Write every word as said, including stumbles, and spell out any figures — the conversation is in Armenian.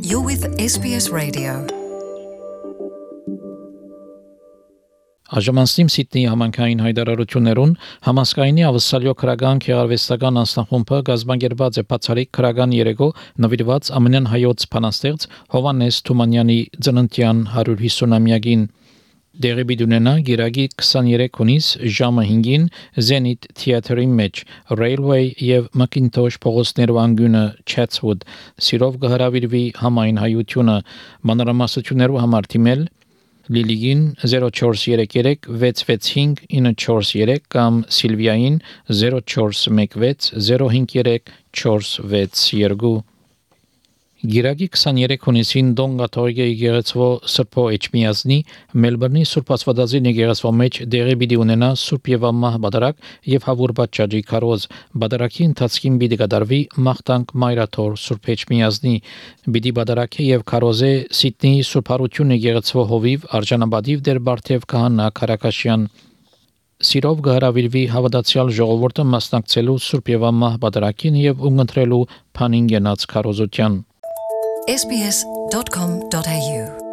You're with S B S Radio. Աժամանստիմ Սիդնեի համանքային հայտարարություններուն համասկայնի ավսալյո քրական քեղարվեստական անձնախումբը գազբանգերված է բացառիկ քրական երեգո նվիրված ամենայն հայոց փանաստեղծ Հովանես Թումանյանի ծննդյան հարյուր հիսունամյակին դեղի բիդունենա գիրագի քսաներեք հունիս ժամը հինգին Zenit Theatre-ի մեջ Railway եւ Macintosh փողոցներու անգյունը Chatswood սիրով գհրավիրվի համայն հայությունը մանրամասնություններու համար թիմել Լիլիգին zero four three three six six five nine four three կամ Սիլվիային zero four one six zero five three four six two Գիրագի քսաներեք հունիսին Դոն Կաթողիկե եկեղեցվո Սրբո Էջմիածնի Մելբուրնի Սուրբ Աստվածածի եկեղեցվո մեջ դեղի պիտի ունենա Սուրբ եւ Ամահ բադարակ եւ հավուր պատճառի քարոզ բադարակի ընթացքին պիտի կատարվի մաղթանք Մայրաթոր Սուրբ Էջմիածնի պիտի բադարակե եւ քարոզե Սիդնեի Սուրբ Հարություն եկեղեցվո հովիվ արժանապատիվ դեր Բարթև Քահանա Քարակաշյան Սիրով գհրավիրվի հավատացյալ ժողովուրդը մասնակցելու Սուրբ եւ Ամահ բադարակին եւ ունգընտրելու փանին գնաց քարոզության S B S dot com dot A U